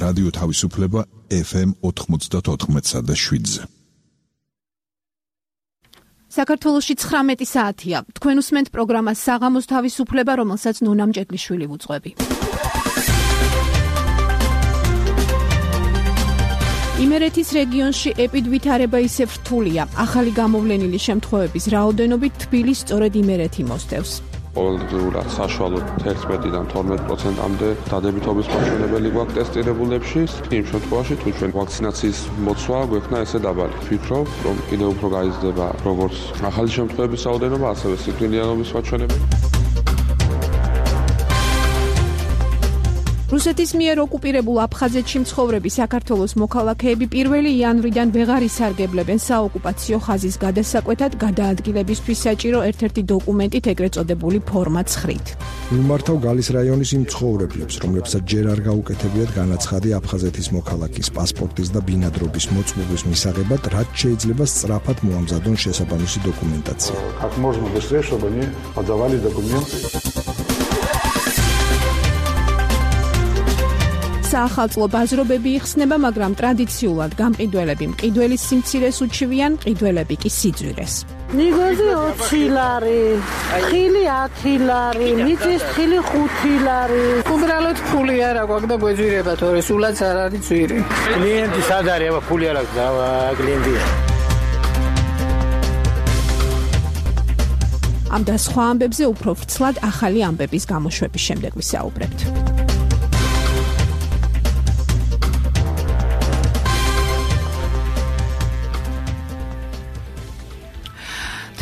რადიო თავისუფლება FM 94.7-ზე. საქართველოში 19 საათია. თქვენ უსმენთ პროგრამას საღამოს თავისუფლება, რომელსაც ნონა მჭედლიშვილი ვუძღვები. იმერეთის რეგიონში ეპიდვითარება ისევ რთულია. ახალი გამოვლენილი შემთხვევების რაოდენობით თბილისს სწორედ იმერეთი მოსდევს. ყოველდღიურად საშუალოდ 11-დან 12%-მდე დადებითობის მაჩვენებელი გვაქვს ტესტირებულებში. იმ შემთხვევაში, თუ ჩვენ ვაქცინაციის მოცვა გვექნა ესე დაბალი. ვფიქრობ, რომ კიდევ უფრო გაიზრდება როგორც ახალი შემთხვევების რაოდენობა, ასევე სიკვდილიანობის მაჩვენებელი. რუსეთის მიერ ოკუპირებულ აფხაზეთში მცხოვრები საქართველოს მოქალაქეები 1 იანვრიდან ვეღარ ისარგებლებენ საოკუპაციო ხაზის გადასაკვეთად გადაადგილებისთვის საჭირო ერთ-ერთი დოკუმენტით, ეგრეთ წოდებული ფორმა 9-ით. მიმართავ გალის რაიონის იმ მცხოვრებლებს, რომლებსაც ჯერ არ გაუკეთებიათ განაცხადი აფხაზეთის მოქალაქის პასპორტის და ბინადრობის მოწმობის მისაღებად, რაც შეიძლება სწრაფად მოამზადონ შესაბამისი დოკუმენტაცია. Как можно быстрее, чтобы они подавали документы. საახალწლო ბაზრობები იხსნება, მაგრამ ტრადიციულად გამყიდველები მყიდველის სიმცირეს უჩივიან, მყიდველები კი სიძვირეს. ნიგოზი 20 ლარი, ხილი 10 ლარი, მიწის ხილი 5 ლარი. უბრალოდ ფული არ აქვს და გვეძვირება, თორე სულაც არ არის ძვირი. კლიენტი სად არის, აბა ფული არ აქვს და კლიენტია. ამ და სხვა ამბებზე უფრო ვრცლად ახალი ამბების გამოშვების შემდეგ ვისაუბრებთ.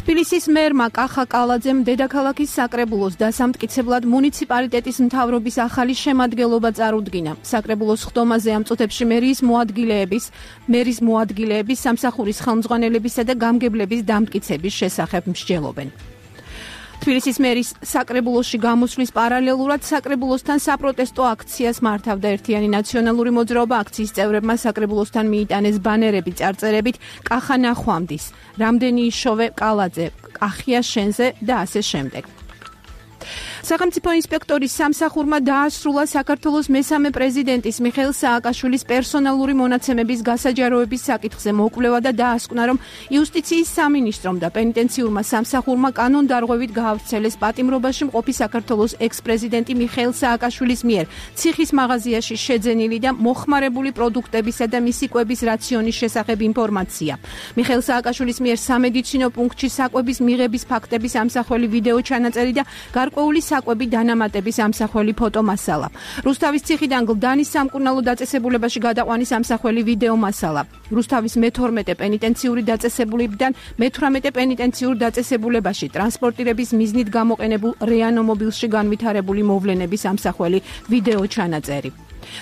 თბილისის მერმა კახა კალაძემ დედაქალაქის საკრებულოს დასამტკიცებლად მუნიციპალიტეტის მთავრობის ახალი შემადგენლობა წარუდგინა. საკრებულოს ხდომაზე ამ წუთებში მერის მოადგილეების, სამსახურის ხელმძღვანელებისა და გამგებლების დამტკიცების შესახებ მსჯელობენ. თბილისის მერის საკრებულოში გამოსვლის პარალელურად საკრებულოსთან საპროტესტო აქციას მართავდა ერთიანი ნაციონალური მოძრაობა. აქციის წევრებმა საკრებულოსთან მიიტანეს ბანერები წარწერებით კახა ნახვამდის, რამდენი იშოვე კალაძე, კახია შენზე და ასე შემდეგ. სახელმწიფო ინსპექტორის სამსახურმა დაასრულა საქართველოს მესამე პრეზიდენტის მიხეილ სააკაშვილის პერსონალური მონაცემების გასაჯაროების საკითხზე მოკვლევა და დაასკვნა, რომ იუსტიციის სამინისტრომ და პენიტენციურმა სამსახურმა კანონდარღვევით გაავრცელეს პატიმრობაში მყოფი საქართველოს ექს-პრეზიდენტი მიხეილ სააკაშვილის მიერ ციხის მაღაზიაში შეძენილი და მოხმარებული პროდუქტებისა და მისი კვების რაციონის შესახებ ინფორმაცია. მიხეილ სააკაშვილის მიერ სამედიცინო პუნქტში საკვების მიღების ფაქტების ამსახველი ვიდეო ჩანაწერი და გარკვეული საკვები დანამატების ამსახველი ფოტომასალა. რუსთავის ციხიდან გლდანის სამკურნალო დაწესებულებაში გადაყვანის ამსახველი ვიდეო მასალა. რუსთავის მე-12 პენიტენციური დაწესებულებიდან მე-18 პენიტენციურ დაწესებულებაში ტრანსპორტირების მიზნით გამოყენებულ რეანომობილში განვითარებული მოვლენების ამსახველი ვიდეო ჩანაწერი.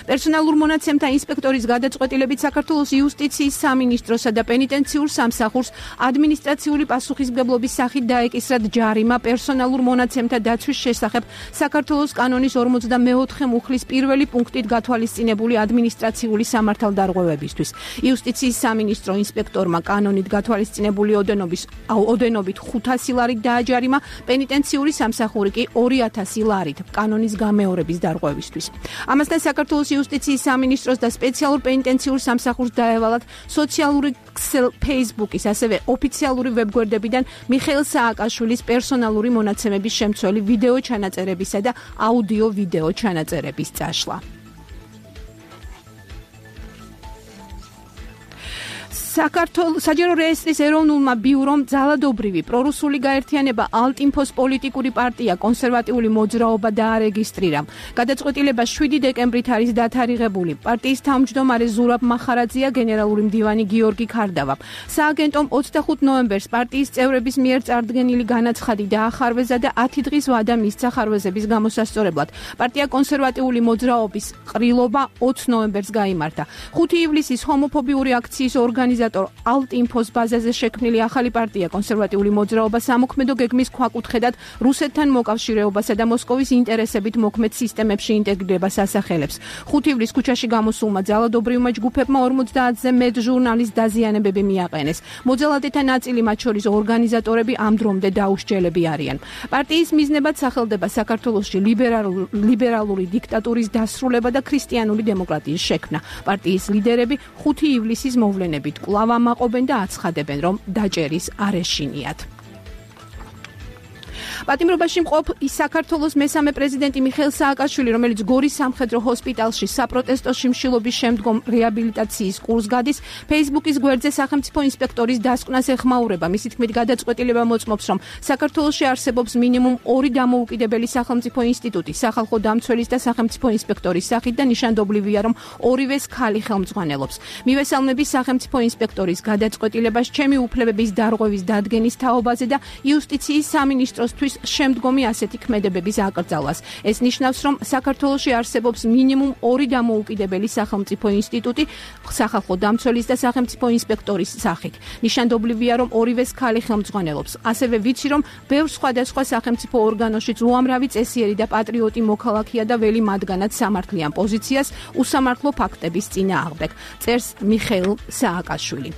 პერსონალურ მონაცემთა ინსპექტორის გადაწყვეტილებით საქართველოს იუსტიციის სამინისტროსა და პენიტენციურ სამსახურს ადმინისტრაციული პასუხისმგებლობის სახით დაეკისრათ ჯარიმა პერსონალურ მონაცემთა დაცვის შესახებ საქართველოს კანონის 44 მუხლის 1 პუნქტით გათვალისწინებული ადმინისტრაციული სამართალდარღვევებისთვის. იუსტიციის სამინისტრო ინსპექტორმა კანონით გათვალისწინებული ოდენობით 500 ლარით დააჯარიმა, პენიტენციური სამსახური კი 2000 ლარით კანონის გამეორების დარღვევისთვის. ამასთან საქართველოს იუსტიციის სამინისტროს და სპეციალურ პენიტენციურ სამსახურს დაევალათ სოციალური ქსელ Facebook-ის, ასევე ოფიციალური ვებგვერდებიდან მიხეილ სააკაშვილის პერსონალური მონაცემების შემცველი ვიდეო ჩანაწერებისა და აუდიო ვიდეო ჩანაწერების წაშლა. საჯარო რეესტრის ეროვნულმა ბიურომ ძალადობრივი პრორუსული გაერთიანება ალტინფოს პოლიტიკური პარტია კონსერვატიული მოძრაობა დაარეგისტრირა. გადაწყვეტილება 7 დეკემბრით არის დათარიღებული. პარტიის თავმჯდომარე ზურაბ მახარაძეა, გენერალური მდივანი გიორგი ქარდავა. სააგენტომ 25 ნოემბერს პარტიის წევრების მიერ წარდგენილი განაცხადი დაახარვეზა და 10 დღის ვადა მისცა ხარვეზების გამოსასწორებლად. პარტია კონსერვატიული მოძრაობის ყრილობა 20 ნოემბერს გაიმართა. 5 ივლისის ჰომოფობიური აქციის ორგანიზატორი ორგანიზატორ ალტ-ინფოს ბაზაზე შექმნილი ახალი პარტია კონსერვატიული მოძრაობა სამოქმედო გეგმის ქვაკუთხედად რუსეთთან მოკავშირეობასა და მოსკოვის ინტერესებით მოქმედ სისტემებში ინტეგრირებას ასახელებს. 5 ივლის ქუჩაში გამოსულმა ძალადობრივმა ჯგუფებმა 50-ზე მეტ ჟურნალის დაზიანებები მიაყენეს. მოძალადეთა ნაწილი, მათ შორის ორგანიზატორები, ამ დრომდე დაუსჯელები არიან. პარტიის მიზნებად სახელდება საქართველოში ლიბერალური დიქტატურის დასრულება და ქრისტიანული დემოკრატიის შექმნა. პარტიის ლიდერები 5 ივლისის მოვლენებით კვლავ ამაყობენ და აცხადებენ, რომ დაჭერის არ ეშინიათ. პატიმრობაში მყოფ საქართველოს მესამე პრეზიდენტი მიხეილ სააკაშვილი, რომელიც გორის სამხედრო ჰოსპიტალში საპროტესტო შიმშილობის შემდგომ რეაბილიტაციის კურსს გადის, Facebook-ის გვერდზე სახელმწიფო ინსპექტორის დასკვნას ეხმაურება. მისი თქმით, გადაწყვეტილება მოწმობს, რომ საქართველოში არსებობს მინიმუმ 2 დამოუკიდებელი სახელმწიფო ინსტიტუტი, სახალხო დამცველის და სახელმწიფო ინსპექტორის სახით და ნიშანდობლივია, რომ ორივეს ქალი ხელმძღვანელობს. მივესალმები სახელმწიფო ინსპექტორის გადაწყვეტილებას ჩემი უფლებების დარღვევის დადგენის თაობაზე და იუსტიციის სამინისტროსთვის შემდგომი ასეთი ქმედებების აკრძალვას. ეს ნიშნავს, რომ საქართველოში არსებობს მინიმუმ 2 დამოუკიდებელი სახელმწიფო ინსტიტუტი, სახალხო დამცველის და სახელმწიფო ინსპექტორის სახით. ნიშანდობლივია, რომ ორივეს ქალი ხელმძღვანელობს. ასევე ვიცი, რომ ბევრ სხვადასხვა სახელმწიფო ორგანოშიც უამრავი წესიერი და პატრიოტი მოქალაქეა და ველი მათგანაც სამართლიან პოზიციას უსამართლო ფაქტების წინააღმდეგ. წერს მიხეილ სააკაშვილი.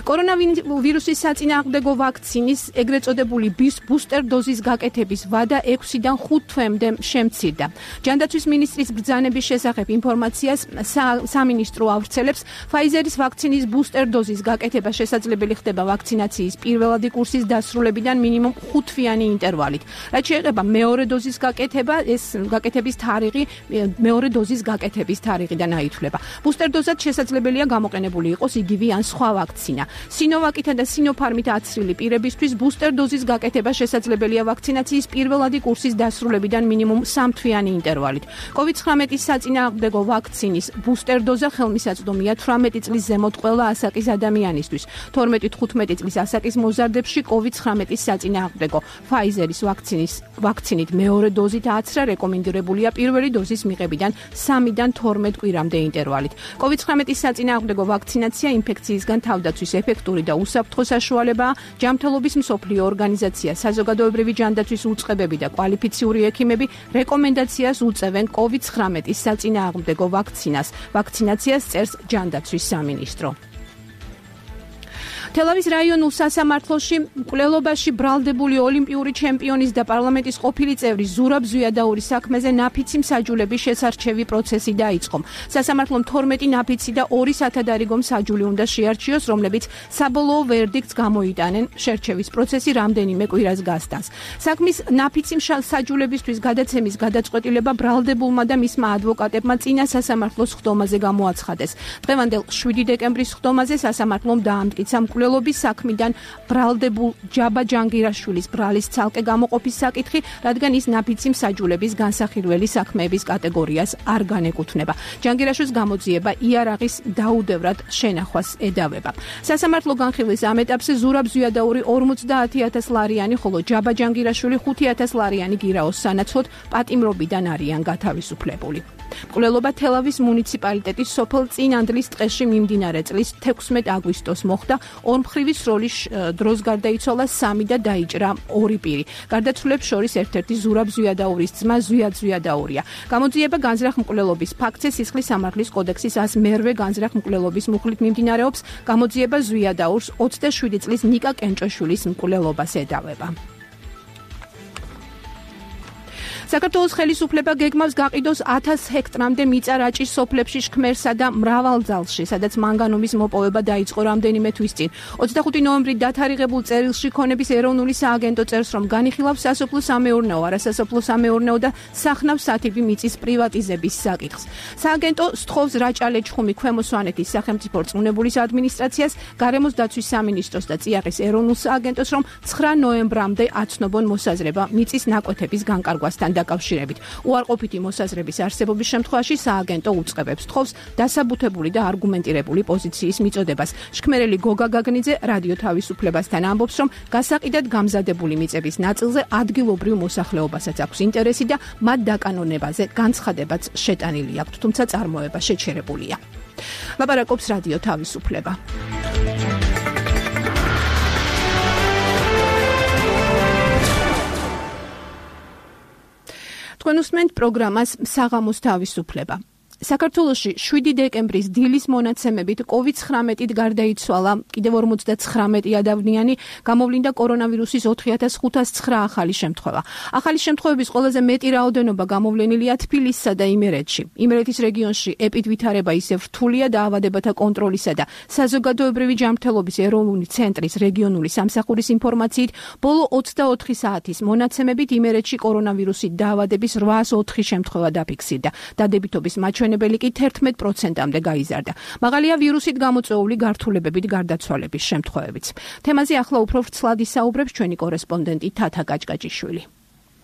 კორონავირუსის საწინააღმდეგო ვაქცინის ეგრეთ წოდებული ბუსტერ დოზის გაკეთების ვადა 6-დან 5 თვემდე შემცირდა. ჯანდაცვის მინისტრის ბრძანების შესახებ ინფორმაციას სამინისტრო ავრცელებს. Pfizer-ის ვაქცინის ბუსტერ დოზის გაკეთება შესაძლებელი ხდება ვაქცინაციის პირველადი კურსის დასრულებიდან მინიმუმ 5 თვიანი ინტერვალით. რაც შეეხება მეორე დოზის გაკეთება, ეს გაკეთების თარიღი მეორე დოზის გაკეთების თარიღიდან აითვლება. ბუსტერ დოზად შესაძლებელია გამოყენებული იყოს იგივე ან სხვა ვაქცინა. სინოვაკითან და სინოფარმით აცრილი პირებისთვის ბუსტერ დოზის გაკეთება შესაძლებელია ვაქცინაციის პირველადი კურსის დასრულებიდან მინიმუმ 3 თვიანი ინტერვალით. COVID-19-ის საწინააღმდეგო ვაქცინის ბუსტერ დოზა ხელმისაწვდომია 18 წლის ზემოთ ყველა ასაკის ადამიანისთვის. 12-15 წლის ასაკის მოზარდებში COVID-19-ის საწინააღმდეგო Pfizer-ის ვაქცინით მეორე დოზით აცრა რეკომენდირებულია პირველი დოზის მიღებიდან 3-დან 12 კვირამდე ინტერვალით. COVID-19-ის საწინააღმდეგო ვაქცინაცია ინფექციისგან თავდაცვის ეფექტური და უსაფრთხო საშუალებაა. ჯანმრთელობის მსოფლიო ორგანიზაცია, საზოგადოებრივი ჯანდაცვის უწყებები და კვალიფიციური ექიმები რეკომენდაციას უწევენ COVID-19-ის საწინააღმდეგო ვაქცინაციას, წერს ჯანდაცვის სამინისტრო. თელავის რაიონულ სასამართლოში მკვლელობაში ბრალდებული ოლიმპიური ჩემპიონის და პარლამენტის ყოფილი წევრის ზურაბ ზვიადაურის საქმეზე ნაფიცი მსაჯულების შესარჩევი პროცესი დაიწყო. სასამართლომ 12 ნაფიცი და 2 სათადარიგო მსაჯული უნდა შეარჩიოს, რომლებიც საბოლოო ვერდიქტს გამოიტანენ. შერჩევის პროცესი რამდენიმე კვირას გასტანს. საქმის ნაფიცი მსაჯულებისთვის გადაცემის გადაწყვეტილება ბრალდებულმა და მისმა ადვოკატებმა წინა სასამართლოს ხდომაზე გამოაცხადეს. დღევანდელ 7 დეკემბრის ხდომაზე სასამართლომ დაამტკიცა მკვლელობის საქმიდან ბრალდებულ ჯაბა ჯანგირაშვილის ბრალის ცალკე გამოყოფის საკითხი, რადგან ის ნაფიცი მსაჯულების განსახილველი საქმეების კატეგორიას არ განეკუთვნება. ჯანგირაშვილის გამოძიება იარაღის დაუდევრად შენახვას ედავება. სასამართლო განხილვის ამ ეტაპზე ზურაბ ზვიადაური 50,000 ლარიანი, ხოლო ჯაბა ჯანგირაშვილი 5,000 ლარიანი გირაოს სანაცვლოდ პატიმრობიდან არიან გათავისუფლებული. მკვლელობა თელავის მუნიციპალიტეტის სოფელ წინანდლის ტყეში მიმდინარე წლის 16 აგვისტოს მოხდა. ორმხრივი სროლის დროს გარდაიცვალა 3 და დაიჭრა 2 პირი. გარდაცვლილებს შორის ერთ-ერთი ზურაბ ზვიადაურის ძმა ზვიად ზვიადაურია. გამოძიება განზრახ მკვლელობის ფაქტზე სისხლის სამართლის კოდექსის 108 განზრახ მკვლელობის მუხლით მიმდინარეობს. გამოძიება ზვიადაურს 27 წლის ნიკა კენჭოშვილის მკვლელობას ედავება. საქართველოს ხელისუფლება გეგმავს გაყიდოს 1000 ჰექტრამდე მიწა რაჭის სოფლებში შქმერსა და მრავალძალში, სადაც მანგანუმის მოპოვება დაიწყო რამდენიმე თვის წინ. 25 ნოემბრით დათარიღებულ წერილში ქონების ეროვნული სააგენტო წერს, რომ განიხილავს სასოფლო-სამეურნეო, არასასოფლო სამეურნეო და სახნავ-სათიბი მიწის პრივატიზების საკითხს. სააგენტო სთხოვს რაჭა-ლეჩხუმი ქვემო სვანეთის სახელმწიფო რწმუნებულის ადმინისტრაციას, გარემოს დაცვის სამინისტროს და წიაღის ეროვნულ სააგენტოს, რომ 9 ნოემბრამდე აცნობონ მოსაზრება მიწის ნაკვეთების განკარგვასთან დაკავშირებით. უარყოფითი მოსაზრების არსებობის შემთხვევაში სააგენტო უწყებებს თხოვს დასაბუთებული და არგუმენტირებული პოზიციის მიწოდებას. შქმერელი გოგა გაგნიძე რადიო თავისუფლებასთან ამბობს, რომ გასაყიდად გამზადებული მიწების ნაწილზე ადგილობრივ მოსახლეობასაც აქვს ინტერესი და მათ დაკანონებაზე განცხადებაც შეტანილი აქვთ, თუმცა წარმოება შეჩერებულია. ლაპარაკობს რადიო თავისუფლება. თქვენ უსმენთ პროგრამას საღამოს თავისუფლება. საქართველოში 7 დეკემბრის დილის მონაცემებით COVID-19-ით გარდაიცვალა კიდევ 59 ადავნიანი, გამოვლინდა კორონავირუსის 4509 ახალი შემთხვევა. ახალი შემთხვევების ყველაზე მეტი რაოდენობა გამოვლენილია თბილისსა და იმერეთში. იმერეთის რეგიონში ეპიდვითარება ისევ რთულია დაავადებათა კონტროლისა და საზოგადოებრივი ჯანმრთელობის ეროვნული ცენტრის რეგიონული სამსახურის ინფორმაციით, ბოლო 24 საათის მონაცემებით იმერეთში კორონავირუსით დაავადების 804 შემთხვევა დაფიქსირდა. დადებითობის მაჩვენებელი კი 11%-მდე გაიზარდა. მაღალია ვირუსით გამოწვეული გართულებებით გარდაცვალების შემთხვევებიც. თემაზე ახლა უფრო ვრცლად ისაუბრებს ჩვენი კორესპონდენტი თათა გაჭგაჭიშვილი.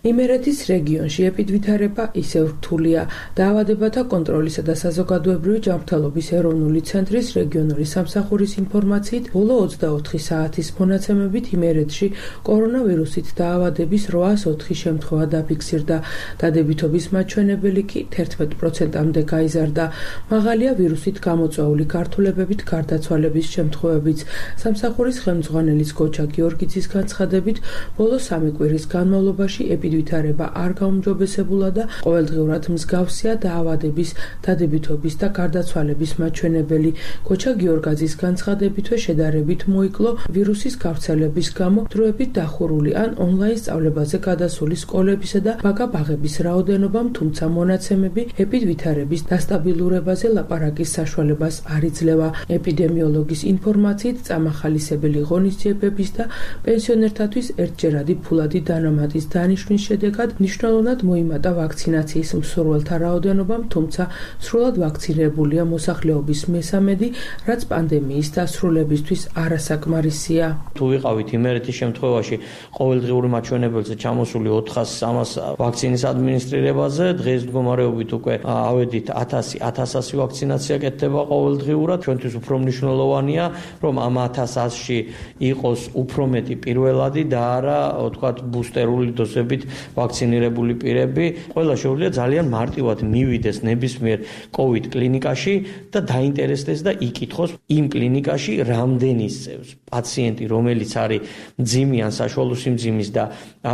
იმერეთის რეგიონში ეპიდვითარება ისევ რთულია. დაავადებათა კონტროლისა და საზოგადოებრივი ჯანმრთელობის ეროვნული ცენტრის რეგიონული სამსახურის ინფორმაციით, ბოლო 24 საათის მონაცემებით იმერეთში კორონავირუსით დაავადების 804 შემთხვევა დაფიქსირდა. დადებითობის მაჩვენებელი კი 11%-მდე გაიზარდა. მაღალია ვირუსით გამოწვეული გართულებებით გარდაცვალების შემთხვევებიც. სამსახურის ხელმძღვანელის გოჩა გიორგიძის განცხადებით, ბოლო 3 კვირის განმავლობაში ვითარება არ გაუმჯობესებულა და ყოველდღიურად მსგავსია დაავადების, დადებითობის და გარდაცვალების მაჩვენებელი. გოჩა გიორგაძის განცხადებითვე შედარებით მოიკლო ვირუსის გავრცელების გამო დროებით დახურული ან ონლაინ სწავლებაზე გადასული სკოლებისა და ბაგა-ბაღების რაოდენობამ, თუმცა მონაცემები ეპიდვითარების დასტაბილურებაზე ლაპარაკის საშუალებას არ იძლევა. ეპიდემიოლოგის ინფორმაციით, წამახალისებელი ღონისძიებების და პენსიონერთათვის ერთჯერადი ფულადი დანამატის დანიშვნის შედეგად მნიშვნელოვნად მოიმატა ვაქცინაციის მსურველთა რაოდენობამ, თუმცა სრულად ვაქცინირებულია მოსახლეობის მესამედი, რაც პანდემიის დასრულებისთვის არასაკმარისია. თუ ვიყავით იმერეთის შემთხვევაში ყოველდღიური მაჩვენებელზე ჩამოსული 400-300 ვაქცინის ადმინისტრირებაზე, დღეს მდგომარეობით უკვე ავედით 1000-1100 ვაქცინაცია კეთდება ყოველდღიურად. ჩვენთვის უფრო მნიშვნელოვანია, რომ ამ 1100-ში იყოს უფრო მეტი პირველადი და არა, ვთქვათ, ბუსტერული დოზებით ვაქცინირებული პირები. ყველა შეუძლია ძალიან მარტივად მივიდეს ნებისმიერ COVID კლინიკაში და დაინტერესდეს და იკითხოს იმ კლინიკაში რამდენი წევს პაციენტი, რომელიც არის მძიმე ან საშუალო სიმძიმის და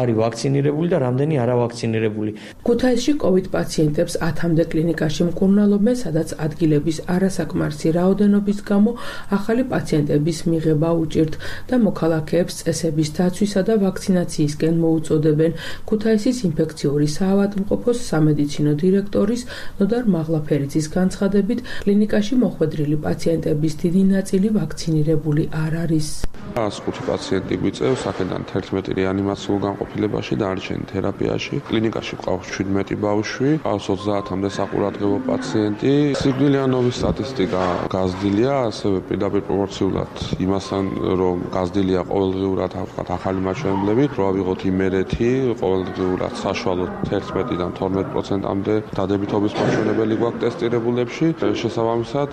არის ვაქცინირებული და რამდენი არავაქცინირებული. ქუთაისში COVID პაციენტებს 10-მდე კლინიკაში მკურნალობენ, სადაც ადგილების არასაკმარისი რაოდენობის გამო ახალი პაციენტების მიღება უჭირთ და მოქალაქეებს წესების დაცვისა და ვაქცინაციისკენ მოუწოდებენ. ქუთაისის ინფექციური საავადმყოფოს სამედიცინო დირექტორის ნოდარ მაღლაფერიძის განცხადებით, კლინიკაში მოხვედრილი პაციენტების დიდი ნაწილი ვაქცინირებული არ არის. 105 პაციენტი გვიწევს, აქედან 11 რეანიმაციულ განყოფილებაში და არჩენ თერაპიაში. კლინიკაში ყავს 17 ბავშვი, ყავს 30-მდე საყურადღებო პაციენტი. სიკვდილიანობის სტატისტიკა გაზრდილია, ასევე პირდაპირ პროპორციულად იმასთან, რომ გაზრდილია ყოველდღიურად ახალი მაჩვენებლები, რო ავიღოთ იმერეთი, ყოველდღიურად საშუალოდ 11-დან 12%-მდე დადებითობის მაჩვენებელი გვაქვს ტესტირებულებში. შესაბამისად,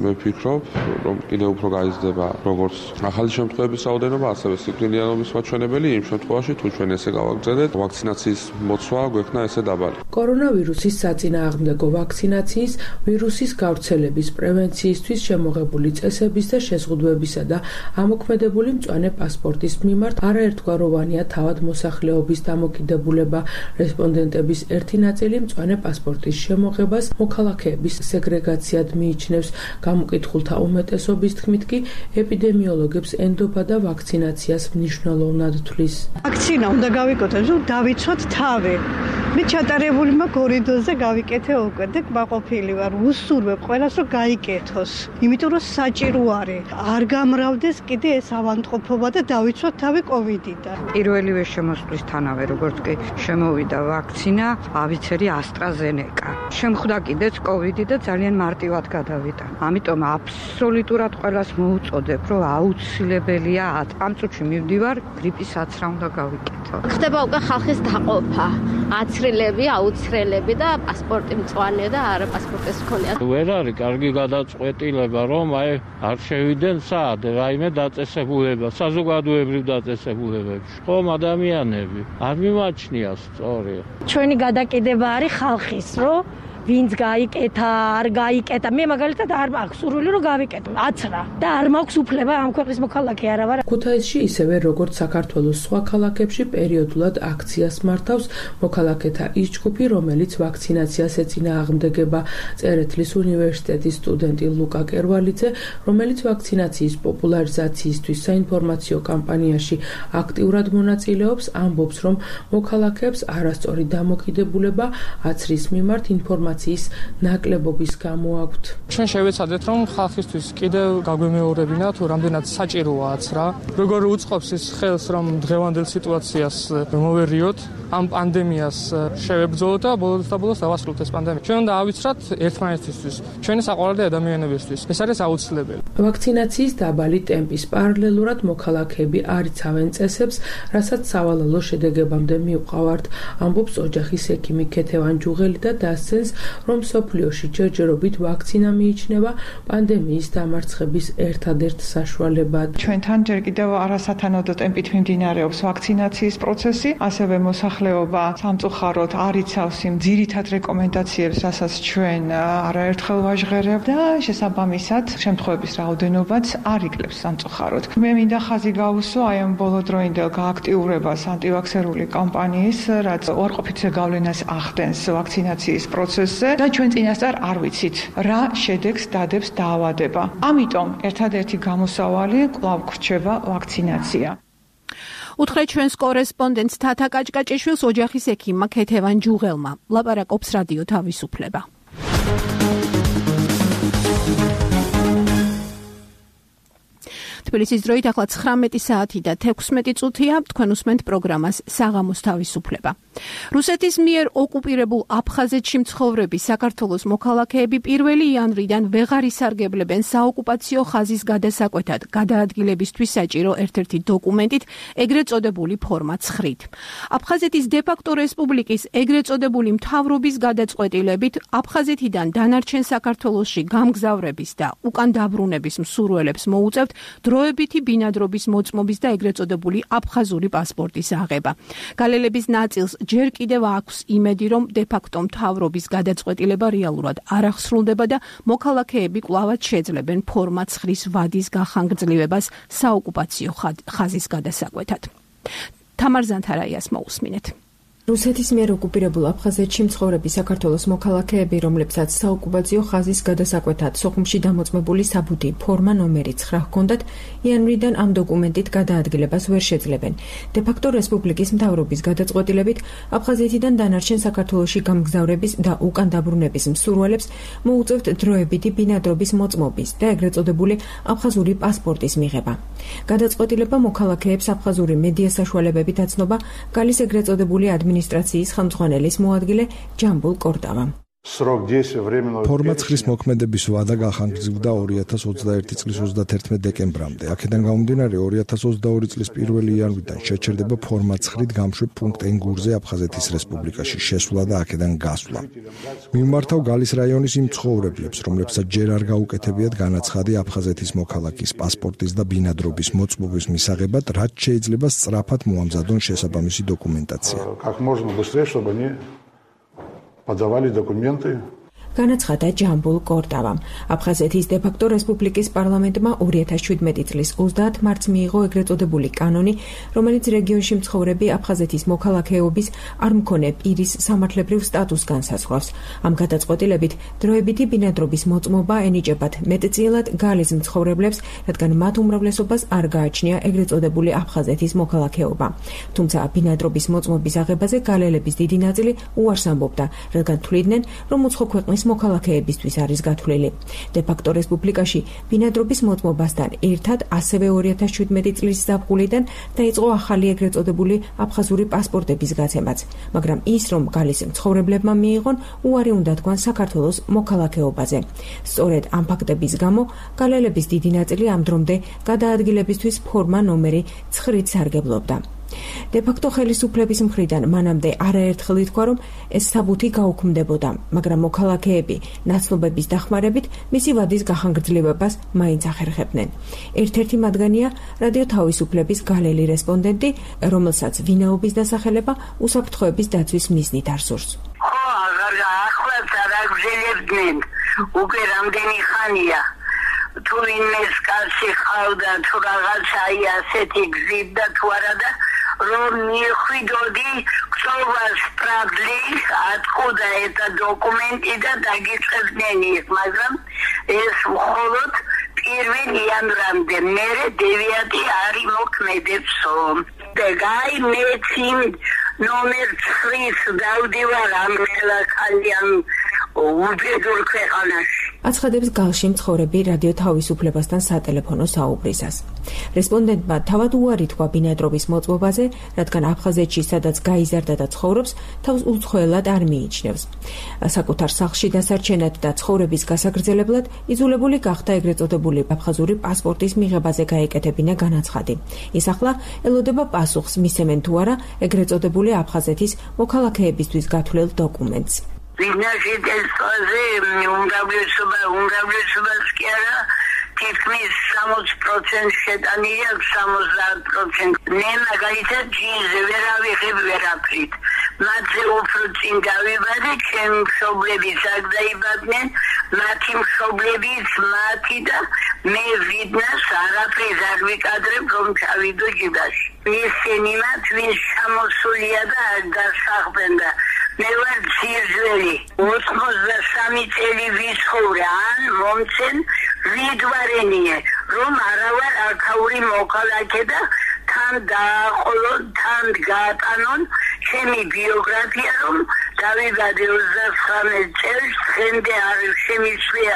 მე ვფიქრობ, რომ კიდევ უფრო გაიზრდება როგორც ახალი შემთხვევების რაოდენობა, ასევე სიკვდილიანობის მაჩვენებელი იმ შემთხვევაში, თუ ჩვენ ესე გავაგრძელებთ, ვაქცინაციის მოცვა გვექნა ესე დაბალი. კორონავირუსის საწინააღმდეგო ვაქცინაციის, ვირუსის გავრცელების პრევენციისთვის შემოღებული წესების და შეზღუდვებისა და ამოქმედებული მწვანე პასპორტის მიმართ არაერთგვაროვანია თავად მოსახლეობის დამოკიდებულება. რესპონდენტების ერთი ნაწილი მწვანე პასპორტის შემოღებას მოქალაქეების სეგრეგაციად მიიჩნევს. გამოკითხულთა უმეტესობის თქმით კი ეპიდემიოლოგებს ენდობა და ვაქცინაციას მნიშვნელოვნად თვლის. ვაქცინა უნდა გავიკეთოთ, რომ დავიცვათ თავი. მე ჩატარებული მაქვს 2 დოზა გავიკეთე უკვე და კმაყოფილი ვარ. უსურვებ ყველას რომ გაიკეთოს. იმიტომ რომ საჭირო არის. არ გამრავდეს კიდე ეს ავადმყოფობა და დავიცვათ თავი კოვიდიდან. პირველივე შემოსვლისთანავე როგორც კი შემოვიდა ვაქცინა, ავიცერი AstraZeneca. შემხვდა კიდეც კოვიდი და ძალიან მარტივად გადავიდა. ამიტომ აბსოლუტურად ყველას მოუწოდებ, რომ აუცილებელია ამ წუთში მივდივარ, გრიპის აცრა უნდა გავიკეთო. ხდება უკვე ხალხის დაყოფა. აცრილები, აუცრელები და პასპორტი მწვანე და არა პასპორტის მქონე. ვერ არის კარგი გადაწყვეტილება, რომ არ შევიდნენ სად, რაიმე დაწესებულება, საზოგადოებრივ დაწესებულებებში. ხომ ადამიანები არ მიმაჩნია სწორია. ჩვენი გადაკიდება არის ხალხის, რომ ვინც გაიკეთა, არ გაიკეთა. მე მაგალითად არ მაქვს სურვილი რომ გავიკეთო. აცრა და არ მაქვს უფლება ამ ქვეყნის მოქალაქე არა ვარ. ქუთაისში ისევე როგორც საქართველოს სხვა ქალაქებში პერიოდულად აქციას მართავს მოქალაქეთა ის ჯგუფი, რომელიც ვაქცინაციას ეწინააღმდეგება. წერეთლის უნივერსიტეტის სტუდენტი ლუკა კერვალიძე, რომელიც ვაქცინაციის პოპულარიზაციისთვის საინფორმაციო კამპანიაში აქტიურად მონაწილეობს, ამბობს, რომ მოქალაქეებს არასწორი დამოკიდებულება აცრის მიმართ ინფორმაციის ნაკლებობის გამო აქვთ. ჩვენ შევეცადეთ, რომ ხალხისთვის კიდევ გაგვემეორებინა თუ რამდენად საჭიროა აცრა, როგორ უწყობს ის ხელს, რომ დღევანდელ სიტუაციას მოვერიოთ, ამ პანდემიას შევებრძოლოთ და ბოლოს დავასრულოთ ეს პანდემია. ჩვენ უნდა ავიცრათ ერთმანეთისთვის, ჩვენი საყვარელი ადამიანებისთვის. ეს არის აუცილებელი. ვაქცინაციის დაბალი ტემპის პარალელურად მოქალაქეები არიცავენ წესებს, რასაც სავალალო შედეგებამდე მივყავართ, ამბობს ოჯახის ექიმი ქეთევან ჯუღელი და დასცენს, რომ მსოფლიოში ჯერჯერობით ვაქცინა მიიჩნევა პანდემიის დამარცხების ერთადერთ საშუალებად. ჩვენთან ჯერ კიდევ არასათანადო ტემპით მიმდინარეობს ვაქცინაციის პროცესი, ასევე მოსახლეობა სამწუხაროდ არ იცავს იმ ძირითად რეკომენდაციებს, რასაც ჩვენ არაერთხელ ვაჟღერებთ და შესაბამისად შემთხვევების რაოდენობაც არ იკლებს სამწუხაროდ. მე მინდა ხაზი გავუსვა აი ამ ბოლოდროინდელ გააქტიურებას ანტივაქსერული კამპანიის, რაც უარყოფითზე გავლენას ახდენს ვაქცინაციის პროცესზე და ჩვენ წინასწარ არ ვიცით რა შედეგს დადებს დაავადება. ამიტომ ერთადერთი გამოსავალი კვლავ გრჩება ვაქცინაცია. უთხრეთ ჩვენს კორესპონდენტს თათა კაჭკაჭიშვილს ოჯახის ექიმმა ქეთევან ჯუღელმა. ლაპარაკობს რადიო თავისუფლება. თბილისის დროით ახლა 19 საათი და 16 წუთია, თქვენ უსმენთ პროგრამას საღამოს თავისუფლება. რუსეთის მიერ ოკუპირებულ აფხაზეთში მცხოვრები საქართველოს მოქალაქეები 1 იანვრიდან ვეღარ ისარგებლებენ საოკუპაციო ხაზის გადასაკვეთად გადაადგილებისთვის საჭირო ერთ-ერთი დოკუმენტით, ეგრეთ წოდებული ფორმა 9-ით. აფხაზეთის დე-ფაქტო რესპუბლიკის ეგრეთ წოდებული მთავრობის გადაწყვეტილებით აფხაზეთიდან დანარჩენ საქართველოში გამგზავრების და უკან დაბრუნების მსურველებს მოუწევთ დროებითი ბინადრობის მოწმობის და ეგრეთ წოდებული აფხაზური პასპორტის აღება. გალელების ნაწილს ჯერ კიდევ აქვს იმედი, რომ დე-ფაქტო მთავრობის გადაწყვეტილება რეალურად არ აღსრულდება და მოქალაქეები კვლავაც შეძლებენ ფორმა 9-ის ვადის გახანგრძლივებას საოკუპაციო ხაზის გადასაკვეთად. თამარ ზანთარაიას მოусმინეთ. რუსეთის მიერ ოკუპირებულ აფხაზეთში მცხოვრები საქართველოს მოქალაქეები, რომლებსაც საოკუპაციო ხაზის გადასაკვეთად სოხუმში დამოწმებული საბუთი ფორმა ნომერი 9 ჰქონდათ, იანვრიდან ამ დოკუმენტით გადაადგილებას ვერ შეძლებენ. დე-ფაქტო რესპუბლიკის მთავრობის გადაწყვეტილებით აფხაზეთიდან დანარჩენ საქართველოში გამგზავრების და უკან დაბრუნების მსურველებს მოუწევთ დროებითი ბინადრობის მოწმობის და ეგრეთ წოდებული აფხაზური პასპორტის მიღება. გადაწყვეტილება მოქალაქეებს აფხაზური მედია საშუალებებით აცნობა გალის ეგრეთ წოდებული ადმინისტრაციის ხელმძღვანელის მოადგილე ჯამბულ კორტავამ. ფორმა 9-ის მოქმედების ვადა გახანგრძლივდა 2021 წლის 31 დეკემბრამდე. აქედან გამომდინარე 2022 წლის 1 იანვრიდან შეჩერდება ფორმა 9-ით გამშვებ პუნქტ ენგურზე აფხაზეთის რესპუბლიკაში შესვლა და აქედან გასვლა. მიმართავ გალის რაიონის იმ მცხოვრებლებს, რომლებსაც ჯერ არ გაუკეთებიათ განაცხადი აფხაზეთის მოქალაქის პასპორტის და ბინადრობის მოწმობის მისაღებად, რაც შეიძლება სწრაფად მოამზადონ შესაბამისი დოკუმენტაცია. Подавали документы. განაცხადა ჯამბულ კორტავამ. აფხაზეთის დე-ფაქტო რესპუბლიკის პარლამენტმა 2017 წლის 30 მარტს მიიღო ეგრეთ წოდებული კანონი, რომელიც რეგიონში მცხოვრები აფხაზეთის მოქალაქეობის არ მქონე პირის სამართლებრივ სტატუსს განსაზღვრავს. ამ გადაწყვეტილებით დროებითი ბინადრობის მოწმობა ენიჭებათ მეტწილად გალის მცხოვრებლებს, რადგან მათ უმრავლესობას არ გააჩნია ეგრეთ წოდებული აფხაზეთის მოქალაქეობა. თუმცა ბინადრობის მოწმობის აღებაზე გალელების დიდი ნაწილი უარს ამბობდა, რადგან თვლიდნენ, რომ უცხო ქვეყნის მოქალაქეებისთვის არის გათვლილი. დე-ფაქტო რესპუბლიკაში ბინადრობის მოწმობასთან ერთად ასევე 2017 წლის ზაფხულიდან დაიწყო ახალი ეგრეთ წოდებული აფხაზური პასპორტების გაცემაც, მაგრამ ის, რომ გალის მცხოვრებლებმა მიიღონ, უარი უნდა თქვან საქართველოს მოქალაქეობაზე. სწორედ ამ ფაქტების გამო გალელების დიდი ნაწილი ამ დრომდე გადაადგილებისთვის ფორმა ნომერი 9-ით სარგებლობდა. დე-ფაქტო ხელისუფლების მხრიდან მანამდე არაერთხელ ითქვა, რომ ეს საბუთი გაუქმდებოდა, მაგრამ მოქალაქეები ნაცნობების დახმარებით მისი ვადის გახანგრძლივებას მაინც ახერხებდნენ. ერთ-ერთი მათგანია რადიო თავისუფლების გალელი რესპონდენტი, რომელსაც ვინაობის დასახელება უსაფრთხოების დაცვის მიზნით არ სურს. აგზელებდნენ უკვე რამდენი ხანია თუ ვინმეს კაცი ხავდა თუ რაღაცა ასეთი გზით და თუ არა და რომ მიხვიდოდი ქსოვას პრაბლი ატყუდა ეს დოკუმენტი და დაგიწყებდნენ იქ მაგრამ ეს მხოლოდ 1 იანვრამდე მერე 9 არი მოქმედებსო და გაი მეციმ ნომერ 9 დავდივარ ამ ქალაქალიან უბედურ ქვეყანაში აცხადებს გალში მცხოვრები რადიო თავისუფლებასთან სატელეფონო საუბრისას. რესპონდენტმა თავად უარი თქვა ბინადრობის მოწყობაზე, რადგან აფხაზეთში, სადაც გაიზარდა და ცხოვრობს, თავს უცხოელად არ მიიჩნევს. საკუთარ სახლში დასარჩენად და ცხოვრების გასაგრძელებლად იძულებული გახდა ეგრეთ წოდებული აფხაზური პასპორტის მიღებაზე გაეკეთებინა განაცხადი. ის ახლა ელოდება პასუხს, მისცემენ თუ არა ეგრეთ წოდებული აფხაზეთის მოქალაქეებისთვის გათვლილ დოკუმენტს. ვინაშიტესაზე უმრავლესობას კი არა თითქმის 60% შეტანილია 70%. მე მაგალითად ჯინზე ვერ ავიღებ ვერაფრით. მათზე უფრო წინ დავიბადე, ჩემი მშობლებიც აქ დაიბადნენ, მათი მშობლებიც მათი და მე ვიდნას არაფერს არ ვიკადრებ, რომ ჩავიდო ჯიბაში. ისინი მათ ვინც ჩამოსულია და არ დასახლდნენ და მე ვარ ძირძველი 83 წელი ვიცხოვრე ან მომცენ ვიდვარენიე რომ არა ვარ აქაური მოქალაქე და თან დააყოლონ თან გაატანონ ჩემი ბიოგრაფია რომ დავიბადე 29 წელს დღემდე არ შემიძლია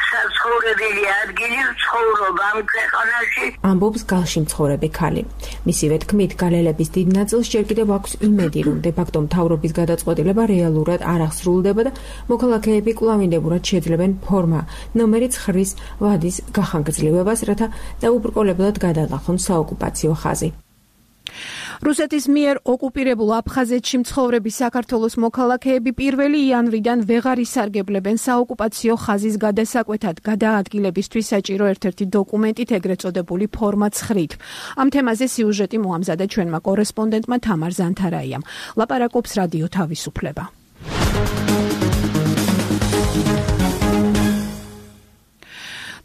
საცხოვრებელი ადგილი ცხოვრობ ამ ქვეყანაში ამბობს გალში მცხოვრები ქალი. მისივე თქმით გალელების დიდ ნაწილს ჯერ კიდევ აქვს იმედი რომ დე-ფაქტო მთავრობის გადაწყვეტილება რეალურად არ აღსრულდება და მოქალაქეები კვლავინდებურად შეძლებენ ფორმა ნომერი 9 ვადის გახანგრძლივებას, რათა დაუბრკოლებლად გადალახონ საოკუპაციო ხაზი. რუსეთის მიერ ოკუპირებულ აფხაზეთში მცხოვრები საქართველოს მოქალაქეები 1 იანვრიდან ვეღარ ისარგებლებენ საოკუპაციო ხაზის გადასაკვეთად გადაადგილებისთვის საჭირო ერთ-ერთი დოკუმენტით ეგრეთ წოდებული ფორმა 9-ით. ამ თემაზე სიუჟეტი მოამზადა ჩვენმა კორესპონდენტმა თამარ ზანთარაიამ. ლაპარაკობს რადიო თავისუფლება.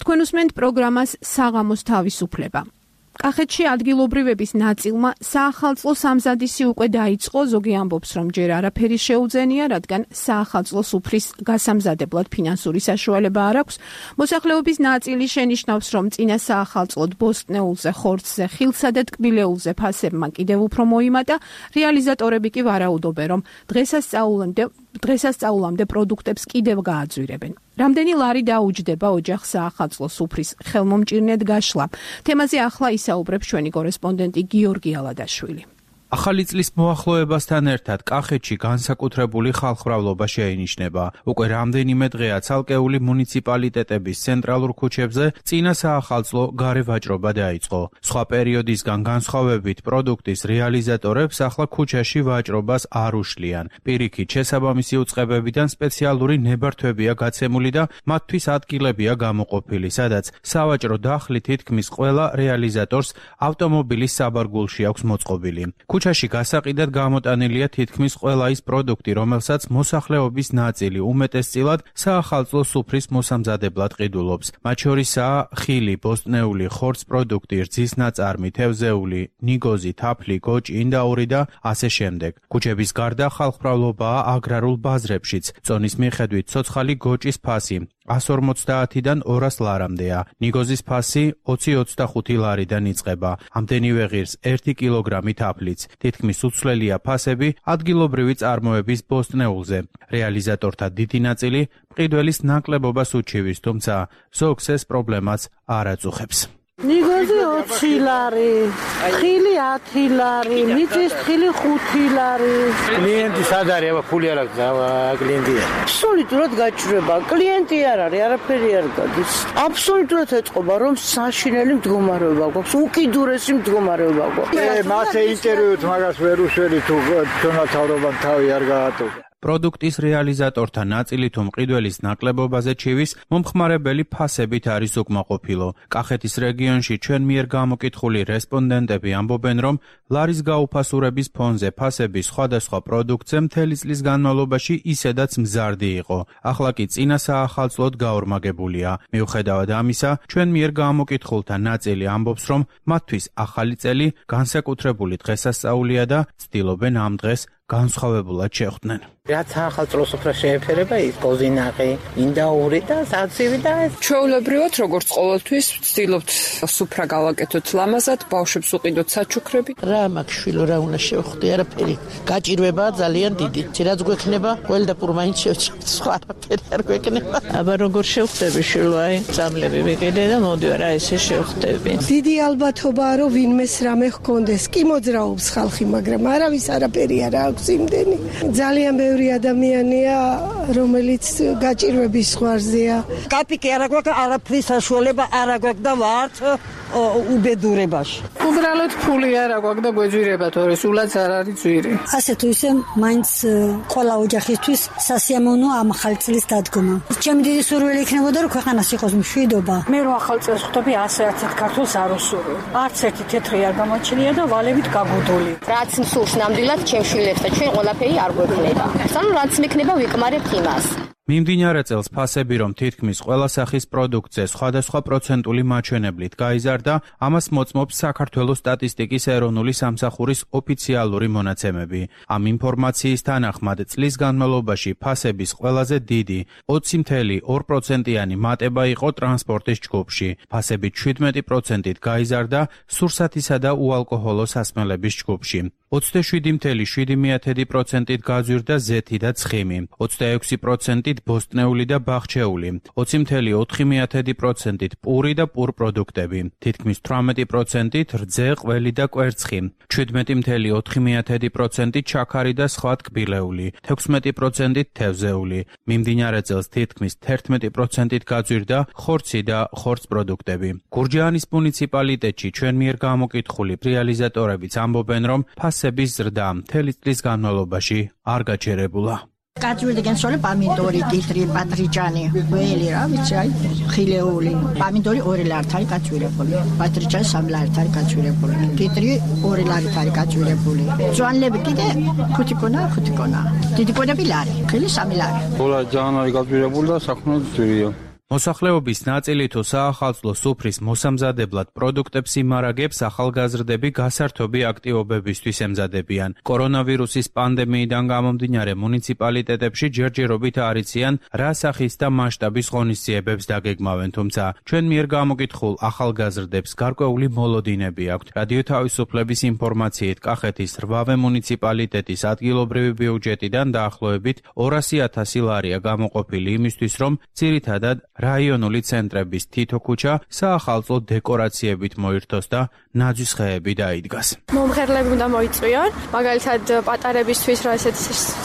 თქვენ უსმენთ პროგრამას საღამოს თავისუფლება. კახეთში ადგილობრივების ნაწილმა საახალწლო სამზადისი უკვე დაიწყო, ზოგი ამბობს, რომ ჯერ არაფერი შეუძენია, რადგან საახალწლო სუფრის გასამზადებლად ფინანსური საშუალება არ აქვს. მოსახლეობის ნაწილი შენიშნავს, რომ წინა საახალწლოდ ბოსტნეულზე, ხორცზე, ხილსა და ტკბილეულზე ფასებმა კიდევ უფრო მოიმატა, რეალიზატორები კი ვარაუდობენ, რომ დღესასწაულამდე პროდუქტებს კიდევ გააძვირებენ. რამდენი ლარი დაუჯდება ოჯახს საახალწლო სუფრის ხელმომჭირნედ გაშლა. თემაზე ახლა ისაუბრებს ჩვენი კორესპონდენტი გიორგი ალადაშვილი. ახალი წლის მოახლოებასთან ერთად კახეთში განსაკუთრებული ხალხმრავლობა შეინიშნება. უკვე რამდენიმე დღეა ცალკეული მუნიციპალიტეტების ცენტრალურ ქუჩებზე წინა საახალწლო გარე ვაჭრობა დაიწყო. სხვა პერიოდისგან განსხვავებით პროდუქტის რეალიზატორებს ახლა ქუჩაში ვაჭრობას არ უშლიან. პირიქით შესაბამისი უწყებებიდან სპეციალური ნებართვებია გაცემული და მათთვის ადგილებია გამოყოფილი, სადაც სავაჭრო დახლი თითქმის ყველა რეალიზატორს ავტომობილის საბარგულში აქვს მოწყობილი. ქუჩაში გასაყიდად გამოტანილია თითქმის ყველა ის პროდუქტი, რომელსაც მოსახლეობის ნაწილი უმეტესწილად საახალწლო სუფრის მოსამზადებლად ყიდულობს. მათ შორისაა ხილი, ბოსტნეული, ხორც პროდუქტი, რძის ნაწარმი, თევზეული, ნიგოზი, თაფლი, გოჭი, ინდაური და ასე შემდეგ. ქუჩების გარდა ხალხმრავლობაა აგრარულ ბაზრებშიც. წონის მიხედვით ცოცხალი გოჭის ფასი 150-დან 200 ლარამდეა. ნიგოზის ფასი 20-25 ლარიდან იწყება. ამდენივე ღირს 1 კილოგრამი თაფლიც. თითქმის უცვლელია ფასები ადგილობრივი წარმოების ბოსტნეულზე. რეალიზატორთა დიდი ნაწილი მყიდველის ნაკლებობას უჩივის, თუმცა ზოგს ეს პრობლემაც არ აწუხებს. ნიგოზი 20 ლარი, ხილი 10 ლარი, მიწის ხილი 5 ლარი. კლიენტი სად არის? აბა ფული არ აქვს, კლიენტია. აბსოლუტურად გაჭრება. კლიენტი არ არის, არაფერი არ გადის. აბსოლუტურად ეწყობა, რომ საშინელი მდგომარეობა გვაქვს, უკიდურესი მდგომარეობა გვაქვს. მასე ინტერვიუთ მაგას ვერ უშველი თუ თუნდაც თავრობამ თავი არ გაატო. პროდუქტის რეალიზატორთა ნაწილი თუ მყიდველის ნაკლებობაზე ჩივის მომხმარებელი ფასებით არის უკმაყოფილო. კახეთის რეგიონში ჩვენ მიერ გამოკითხული რესპონდენტები ამბობენ, რომ ლარის გაუფასურების ფონზე ფასები სხვადასხვა პროდუქტზე მთელი წლის განმავლობაში ისედაც მზარდი იყო. ახლა კი წინა საახალწლოდ გაორმაგებულია. მიუხედავად ამისა, ჩვენ მიერ გამოკითხულთა ნაწილი ამბობს, რომ მათთვის ახალი წელი განსაკუთრებული დღესასწაულია და ცდილობენ ამ დღეს განსხვავებულად შეხვდნენ. რაც ახალწლოს უფრო შეეფერება ის კოზინაყი, ინდაური და საცივი და ჩვეულებრივად როგორც ყოველთვის ვცდილობთ სუფრა გავაკეთოთ ლამაზად, ბავშვებს უყიდოთ საჩუქრები. რა მაქვს შვილო, რა უნდა შევხვდი, არაფერი. გაჭირვებაა ძალიან დიდი. რაც გვექნება, ყველ და პურ მაინც შევჭრით, სხვა არაფერი არ გვექნება. აბა როგორ შევხვდები შვილო, აი, წამლები ვიყიდე და მოდივარ, აი ესე შევხვდები. დიდი ალბათობაა, რომ ვინმეს რამე ჰქონდეს. კი მოძრაობს ხალხი, მაგრამ არავის არაფერი არ აქვს იმდენი. ძალიან ბევრი ადამიანია, რომელიც გაჭირვების ზღვარზეა. კაპიკი არ აქვს, არაფრის საშუალება არ აქვს და ვართ უბედურებაში. უბრალოდ ფული არ აქვს და გვეძვირება, თორე სულაც არ არის ძვირი. ასე თუ ისე მაინც ყველა ოჯახისთვის სასიამოვნო ამ ახალი წლის დადგომა. ჩემი დიდი სურვილი იქნებოდა, რომ ქვეყანას იყოს მშვიდობა. მე რო ახალ წელს ხვდები 100-100 ქართულს არ უსურვებ. არც ერთი თეთრი არ გამოჩნია და ვალებით გაგუდული. რაც მსურს ნამდვილად ჩემ შვილებს და ჩვენ ყველაფერი არ გვექნება. სანამ რაც მექნება ვიკმარებთ იმას. მიმდინარე წელს ფასები, რომ თითქმის ყველა სახის პროდუქტზე სხვადასხვა პროცენტული მაჩვენებლით გაიზარდა, ამას მოწმობს საქართველოს სტატისტიკის ეროვნული სამსახურის ოფიციალური მონაცემები. ამ ინფორმაციის თანახმად წლის განმავლობაში ფასების ყველაზე დიდი 20.2%-იანი მატება იყო ტრანსპორტის ჯგუფში. ფასები 17%-ით გაიზარდა სურსათისა და უალკოჰოლო სასმელების ჯგუფში. 27.7%-ით გაძვირდა ზეთი და ცხიმი, 26%-ით ბოსტნეული და ბახჩეული, 20.4%-ით პური და პურპროდუქტები, თითქმის 18%-ით რძე, ყველი და კვერცხი, 17.4%-ით ჩაქარი და სხვა ტკბილეული, 16%-ით თევზეული. მიმდინარე წელს თითქმის 11%-ით გაძვირდა ხორცი და ხორცპროდუქტები. გურჯაანის მუნიციპალიტეტში ჩვენ მიერ გამოკითხული რეალიზატორებიც ამბობენ, რომ ფასების ზრდა მთელი წლის განმავლობაში არ გაჩერებულა. გაჭირვდა განსხვავებული პამიდორი, კიტრი, პატრიჭანი, ველი რა ვიცი, აი, ხილეული. პამიდორი 2 ლარით არის გაჭირებული. პატრიჭანი 3 ლარით არის გაჭირებული. კიტრი 2 ლარით არის გაჭირებული. ძვანლები კიდე 5 კონა. დიდი კონები ლარი, ხილი 3 ლარი. ყველა ძალიან არის გაჭირებული და საქმე ძვირია. მოსახლეობის ნაწილი თუ საახალწლო სუფრის მოსამზადებლად პროდუქტებს იმარაგებს, ახალგაზრდები გასართობი აქტივობებისთვის ემზადებიან. კორონავირუსის პანდემიიდან გამომდინარე მუნიციპალიტეტებში ჯერჯერობით არიციან, რა სახის და მასშტაბის ღონისძიებებს დაგეგმავენ, თუმცა ჩვენ მიერ გამოკითხულ ახალგაზრდებს გარკვეული მოლოდინები აქვთ. რადიო თავისუფლების ინფორმაციით, კახეთის 8 მუნიციპალიტეტის ადგილობრივი ბიუჯეტიდან დაახლოებით 200.000 ლარია გამოყოფილი იმისთვის, რომ ძირითადად რაიონული ცენტრების თითო ქუჩა საახალწლო დეკორაციებით მოირთოს და ნაძვის ხეები დაიდგას. მომღერლები უნდა მოიწვიონ, მაგალითად პატარებისთვის რა ესეთ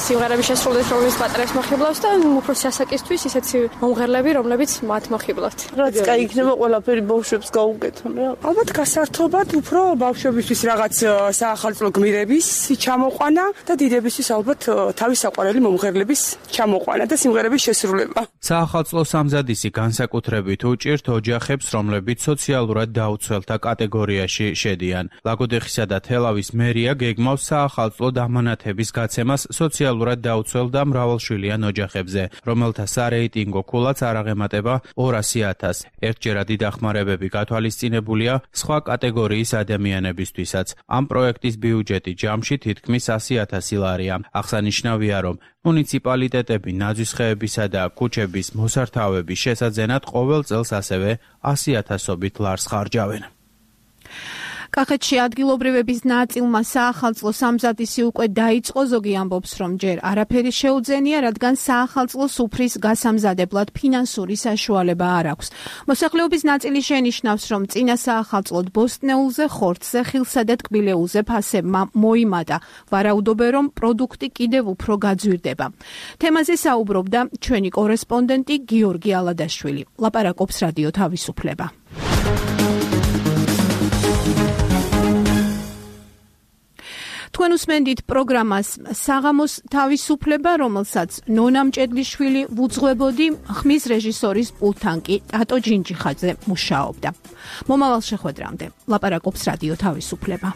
სიმღერები შესრულდეს, რომლებიც პატარებს მოხიბლავს და უფროსი ასაკისთვის ისეთი მომღერლები, რომლებიც მათ მოხიბლავთ. რაც კაი იქნება ყველაფერი ბავშვებს გაუკეთონ რა. ალბათ გასართობად უფრო ბავშვებისთვის რაღაც საახალწლო გმირების ჩამოყვანა და დიდებისთვის ალბათ თავის საყვარელი მომღერლების ჩამოყვანა და სიმღერების შესრულება. საახალწლო სამზადისი განსაკუთრებით უჭირთ ოჯახებს, რომლებიც სოციალურად დაუცველთა კატეგორიაში შედიან. ლაგოდეხისა და თელავის მერია გეგმავს საახალწლო დამანათების გაცემას სოციალურად დაუცველ და მრავალშვილიან ოჯახებზე, რომელთა სარეიტინგო ქულაც არ აღემატება 200.000. ერთჯერადი დახმარებები გათვალისწინებულია სხვა კატეგორიის ადამიანებისთვისაც. ამ პროექტის ბიუჯეტი ჯამში თითქმის 100.000 ლარია. აღსანიშნავია, რომ მუნიციპალიტეტები ნაძვის ხეებისა და ქუჩების მოსართავების შესაძენად ყოველ წელს ასევე 100.000-ობით ლარს ხარჯავენ. კახეთში ადგილობრივების ნაწილმა საახალწლო სამზადისი უკვე დაიწყო, ზოგი ამბობს, რომ ჯერ არაფერი შეუძენია, რადგან საახალწლო სუფრის გასამზადებლად ფინანსური საშუალება არ აქვს. მოსახლეობის ნაწილი შენიშნავს, რომ წინა საახალწლოდ ბოსტნეულზე, ხორცზე, ხილსა და ტკბილეულზე ფასებმა მოიმატა. ვარაუდობენ, რომ პროდუქტი კიდევ უფრო გაძვირდება. თემაზე საუბრობდა ჩვენი კორესპონდენტი გიორგი ალადაშვილი. ლაპარაკობს რადიო თავისუფლება. თუ თქვენ უსმენდით პროგრამას საღამოს თავისუფლება, რომელსაც ნონა მჭედლიშვილი ვუძღვებოდი, ხმის რეჟისორის პულტთან კი ტატო ჯინჯიხაძე მუშაობდა. მომავალ შეხვედრამდე ლაპარაკობს რადიო თავისუფლება.